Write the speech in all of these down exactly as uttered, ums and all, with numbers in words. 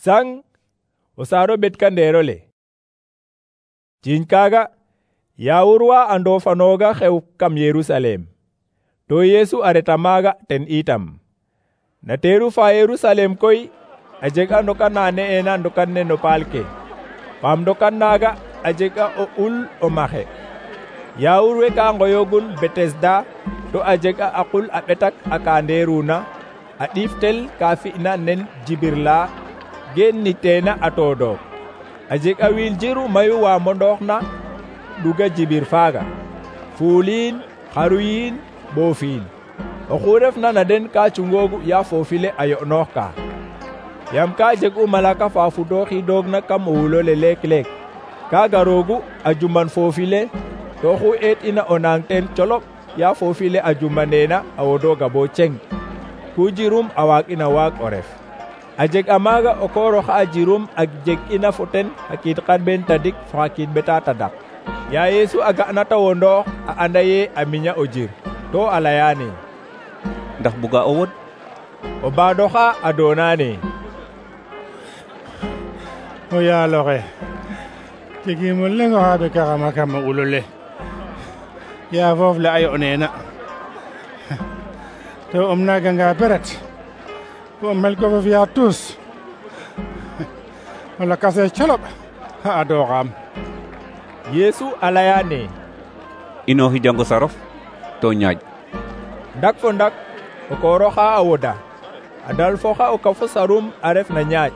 sang o saaro ɓetkandeerole. Ciiñ kaaga yaawur wa a ndoofanooga xew kam Yerusalem, to Yeesu a reta maaga ten itam. Na teeru fa Yerusalem koy a jeg a ndokan na ne'eena ndokan ne no paal ke. Paam ndokan naaga a jeg a o ul o maxe. Yaawur we ka ngoyogun Betesda to a jeg a aqul a ɓetak a ka ndeeruna a ɗiiftel ka fi'na nen jibirla geen ni teena a toodook. A jeg a wiil jiru mayu wa mondooxna ɗuga jibir faaga, fuuliin, xaruyiin, ɓoofiin. Oxu refna na den ka cungoogu ya foofile a yo'noox ka. Yam ka jeg'u malaka fa fudooxidoogna kam o wulole leek-leek. Ka garoogu a juman foofile to oxu eet'ina o nang ten colop ya foofile a jumaneena a wodooga bo ceng. Ku jirum a waag'ina waag o ref. A jeg a maaga o koor oxa a jirum a jeg'ina fo ten xa kiid xarɓeen tadik fo xa kiid ɓeta tadak. Ya Yeesu a ga'na ta wondoox a anda ye a miña o jir, to a layaane: ndax buga o wod? O baadooxa a doonaane: o yaaloxe, jegiim o leŋ oxa ɓekaxama kam a ulole, yaa foof le a yo'neena. To um naaganga beret bo o mel ko fo fi'a tuus, o lakase colop a adooxaam. Yeesu a layaane: inooxi jango sarof to ñaaj. Ndak fo ndak o koor oxa a woda, a dalfoxa o kafo sarum a ref na ñaaj.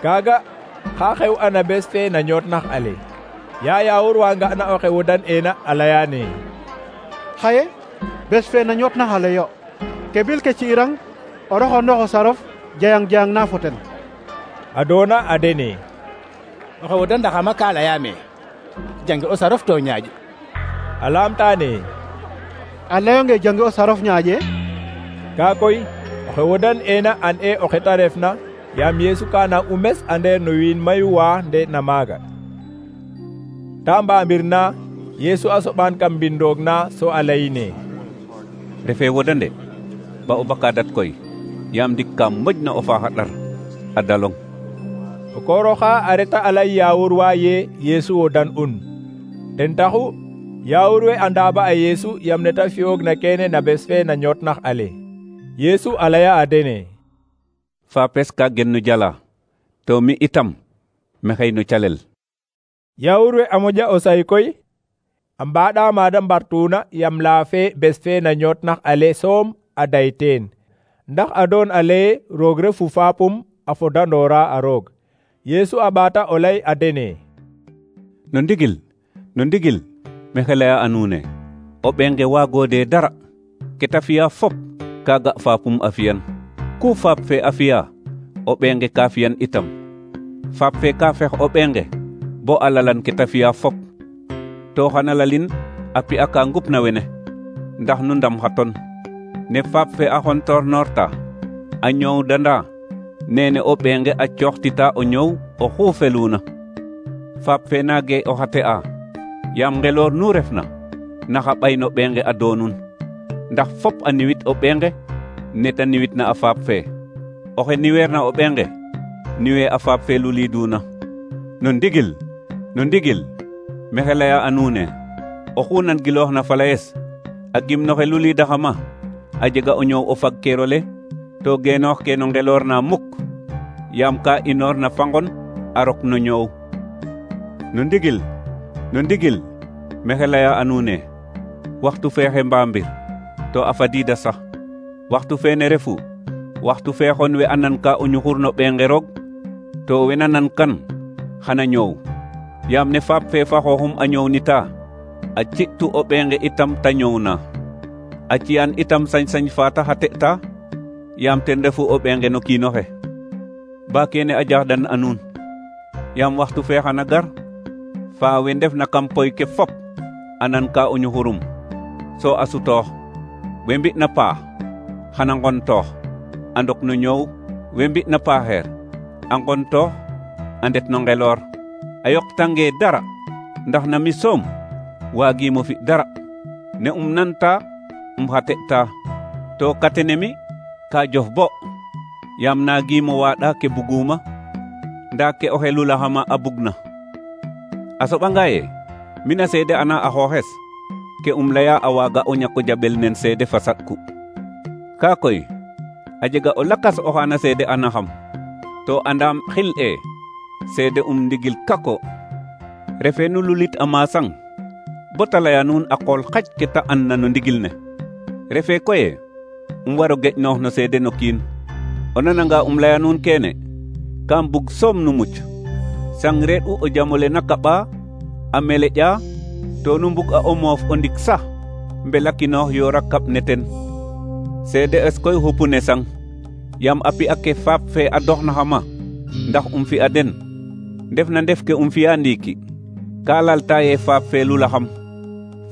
Kaaga xa xew ana bes fe na ñootnax ale. Ya yaawur wa nga'na oxe wodan'eena a layaane: xaye bes fe na ñootnax ale yo, ke bil ke ci'irang o roxondox o sarof jayang jayang na fo ten. A doona a dene: oxe wodandaxama ka layaame jange o sarof to ñaaj. A laamtaane: a layonge jange o sarof ñaaƴe? Kaa koy oxe wodan'eena an e oxe ta refna, yaam Yeesu ka nang u mes a ndeer no wiin mayu wa nde'na maaga. Ta mbaambir na Yeesu a soɓaan kam mbindoog na so a layine: refe wodande ba o bakadat koy, yaam ndik ka moƴna o faaxa ɗar a dalong. O koor oxa a reta a lay yaawur wa ye Yeesu wodan'un. Ten taxu yaawur we a ndaaba a Yeesu yam neta fi'oogna keene na bes fe na ñootnax ale. Yeesu a laya a dene: faapes ka gen no jala, to mi itam mexey no calel. Yaawur we a moƴa o say koy, a mbaaɗa maada mbartuuna yam laa fe bes fe na ñootnax ale soom a day teen. Ndax a doon a leye roog refu faapum a fodandoora a roog. Yeesu a ɓaata o lay a dene: no ndigil, no ndigil, maxey laya a nuune, o ɓenge waagoode dara. Ke ta fi'a fop kaaga faapum a fi'an. Ku faap fe a fi'a, o ɓenge ka fi'an itam. Faap fe ka fex o ɓenge bo a lalan ke ta fi'a fop. To xana lalin a pi'a ka ngupna wene, ndax nu ndam xa ton. Ne faap fe a xontornoorta a ñoowdanda, nene o ɓenge a cooxtita o ñoow oxu feluna. Faap fe naage o xate'a, yaam ngeloor nu refna naxa ɓay no ɓenge a doonun. Ndax fop a niwit o ɓenge neta niwitna a faap fe. Oxe niweerna o ɓenge niwe a faap fe luliduna. No ndigil, no ndigil, maxey laya a nuune, oxu nan gilooxna falayes a gimnoxe lulidaxama a jega o ñoow o fagkeerole to geenoox ke no ngeloor na muk, yaam ka inoor na fangon a rok no ñoow. No ndigil, no ndigil, maxey laya a nuune, waxtu feexe mbaambir to a fadiida sax. Waxtu feene refu waxtu feexon we a nan ka o ñuxur no ɓenge roog, to we na nan kan xana ñoow. Yaam ne faap fe fa xooxum a ñoownita, a ci'tu o ɓenge itam ta ñoowna. A ci'an itam sañ-sañ fa ta xate'ta, yaam ten refu o ɓenge no kiinoxe. Ba kene a jaxdan a nuun, yaam waxtu fe xana gar, fa we ndefna kam poy ke fop a nan ka o ñuxurum, so a sutoox. We mbi'na paax xana ngontoox a ndok no ñoow, we mbi'na paaxeer a ngontoox a ndet no ngeloor. A yoqtange dara, ndax na mi soom waagiimo fi dara. Ne um nanta um xate'ta, to katene mi ka jof bo, yaam naagiimo waaɗa ke buguma, nda ke o xelulaxama a bugna. A soɓanga ye mina seede ana a xooxes ke um leya a waaga o ñako jaɓel nen seede fa saɗku. Ka koy a jega o lakas oxa na seede anaxam, to andam xil e seede um ndigil kako. Refe nu lulit a masang bo ta leya nuun a qool xaƴ ke ta andna no ndigil ne. Refe koye um waro geƴnoox no seede no kiin. O nananga um leya nuun kene, kam bug soom nu muc. Sang reɗ'u o jamole na kaɓa a meleƴa to nu mbug a o moof o ndik sax mbelakinoox yoora kaɓ ne ten. Seede es koy xupu ne sang, yam a pi'a ke faap fe a doxnaxama ndax um fi'a den. Ndef na ndef ke um fi'a ndiiki ka lalta ye faap fe lulaxam.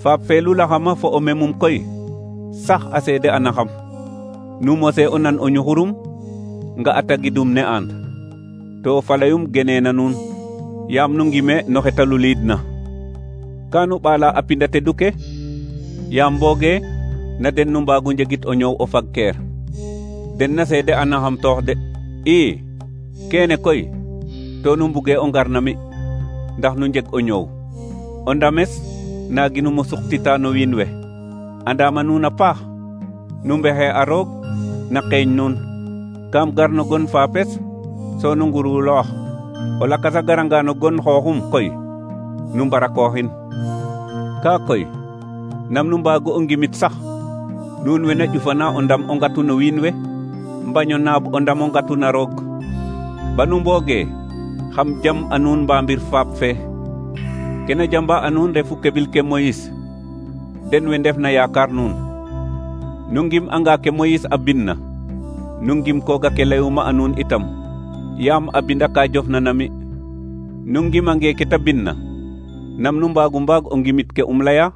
Faap fe lulaxama fo o memum koy sax a seede anaxam. Nu mose o nan o ñuxurum nga a tagidum ne and, to falayum geneena nuun, yaam nu ngime no xeta luliidna. Ka nu ɓaala a pinda tedu ke, yaam mbooge na den nu mbaagu njegit o ñoow o fagkeer. Den na seede anaxam toox de. ii kene koy to nu mbuge o ngar na mi ndax nu njeg o ñoow. O ndames naaginum o suqtita no wiin we. Andama nuun a paax, nu mbexe a roog na qeeñ nuun. Kam gar no gon faapes so nu nguruloox. O lakas a garanga no gon xooxum koy nu mbarakooxin. Ka koy nam nu mbaagu o ngimit sax nuun we na ƴufana o ndam o ngatu no wiin we, mbaño naab o ndam o ngatu na roog. Banu mbooge xam jam a nuun mbambir faap fe. Kena jamba a nuun refu keɓil ke Moyis, den we ndef na yaakar nuun. Nu ngim anga ke Moyis a binna, nu ngim koga ke layuma a nuun itam, yaam a binda ka jofna na mi. Nu ngimange ke ta binna, nam nu mbaagu mbaag o ngimit ke um leya